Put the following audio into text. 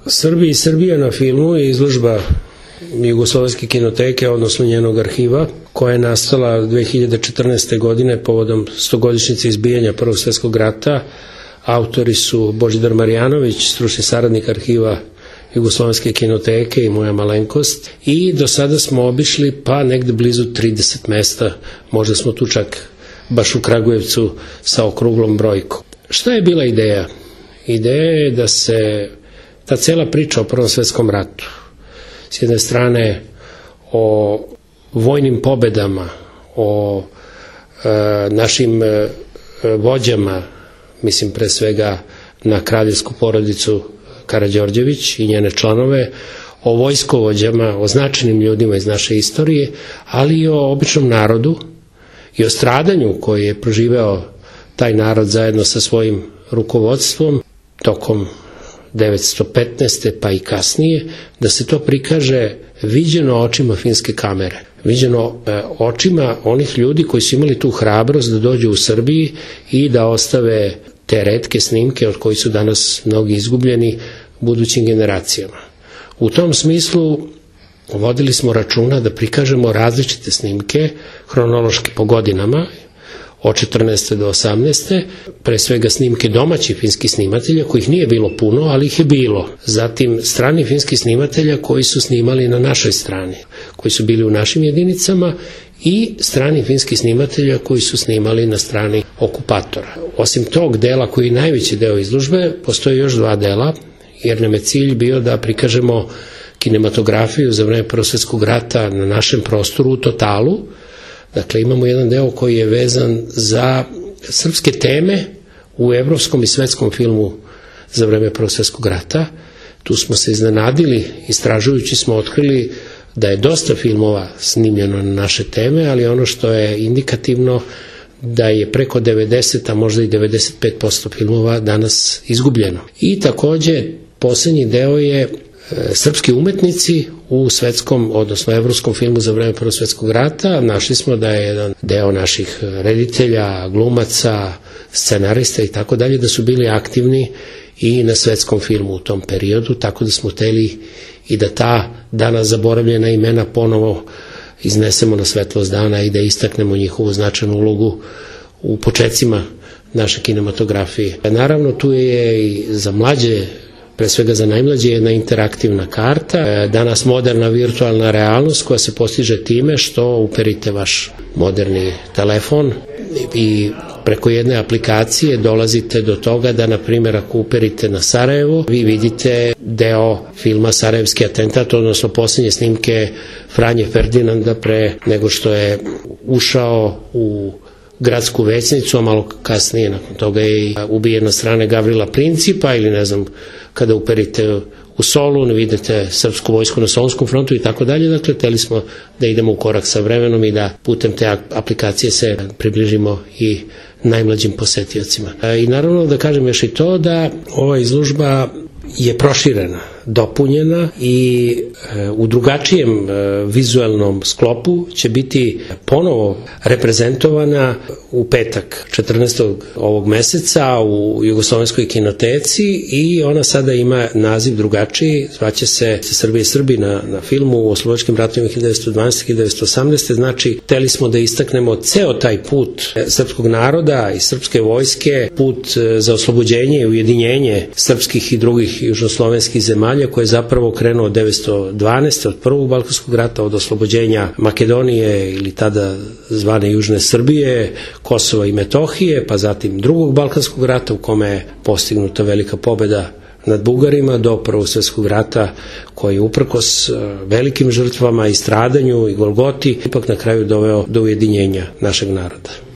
Srbi i Srbija na filmu je izložba Jugoslovenske kinoteke, odnosno njenog arhiva, koja je nastala 2014. godine povodom 100-godišnjice izbijanja Prvog svjetskog rata. Autori su Božidar Marjanović, stručni saradnik arhiva Jugoslovenske kinoteke i moja malenkost. I do sada smo obišli pa negde blizu 30 mesta, možda smo tu čak baš u Kragujevcu sa okruglom brojkom. Šta je bila ideja? Ideja je da se ta cela priča o Prvom svjetskom ratu, s jedne strane o vojnim pobedama, o našim vođama, mislim pre svega na kraljevsku porodicu Karađorđević i njene članove, o vojskovođama, o značajnim ljudima iz naše istorije, ali i o običnom narodu i o stradanju koji je proživeo taj narod zajedno sa svojim rukovodstvom tokom 1915. pa i kasnije, da se to prikaže viđeno očima finske kamere, viđeno očima onih ljudi koji su imali tu hrabrost da dođu u Srbiji i da ostave te retke snimke od kojih su danas mnogi izgubljeni budućim generacijama. U tom smislu vodili smo računa da prikažemo različite snimke, hronološki po godinama, od 14. do 18. pre svega snimke domaćih finskih snimatelja, kojih nije bilo puno, ali ih je bilo. Zatim strani finskih snimatelja koji su snimali na našoj strani, koji su bili u našim jedinicama, i strani finskih snimatelja koji su snimali na strani okupatora. Osim tog dela, koji je najveći deo izložbe, postoje još dva dela, jer nam je cilj bio da prikažemo kinematografiju za vreme Prvog svjetskog rata na našem prostoru u totalu. Dakle, imamo jedan deo koji je vezan za srpske teme u evropskom i svetskom filmu za vreme Prvog svjetskog rata. Tu smo se iznenadili, istražujući smo otkrili da je dosta filmova snimljeno na naše teme, ali ono što je indikativno da je preko 90, a možda i 95% filmova danas izgubljeno. I takođe, poslednji deo je srpski umetnici u svetskom, odnosno evropskom filmu za vreme Prvog svjetskog rata. Našli smo da je jedan deo naših reditelja, glumaca, scenarista i tako dalje, da su bili aktivni i na svetskom filmu u tom periodu, tako da smo hteli i da ta danas zaboravljena imena ponovo iznesemo na svetlost dana i da istaknemo njihovu značajnu ulogu u počecima naše kinematografije. Naravno, tu je i za mlađe, pre svega za najmlađe, jedna interaktivna karta, danas moderna virtualna realnost koja se postiže time što uperite vaš moderni telefon i preko jedne aplikacije dolazite do toga da, na primjer, ako uperite na Sarajevo, vi vidite deo filma Sarajevski atentat, odnosno posljednje snimke Franje Ferdinanda pre nego što je ušao u gradsku većnicu, a malo kasnije nakon toga je ubijen na strane Gavrila Principa, ili ne znam, kada uperite u Solun, vidite srpsku vojsku na Solunskom frontu i tako dalje. Dakle, hteli smo da idemo u korak sa vremenom i da putem te aplikacije se približimo i najmlađim posetiocima. I naravno da kažem još i to da ova izložba je proširena, dopunjena i u drugačijem vizuelnom sklopu će biti ponovo reprezentovana u petak 14. ovog meseca u Jugoslovenskoj kinoteci, i ona sada ima naziv drugačiji, zvaće se Srbija i Srbi na filmu u oslobodilačkim ratovima 1912-1918. Znači, hteli smo da istaknemo ceo taj put srpskog naroda i srpske vojske, put za oslobođenje i ujedinjenje srpskih i drugih južnoslovenskih zemalja, koje je zapravo krenuo od 1912. od Prvog balkanskog rata, od oslobođenja Makedonije ili tada zvane Južne Srbije, Kosova i Metohije, pa zatim Drugog balkanskog rata u kome je postignuta velika pobeda nad Bugarima, do Prvog svjetskog rata koji je uprkos velikim žrtvama i stradanju i Golgoti ipak na kraju doveo do ujedinjenja našeg naroda.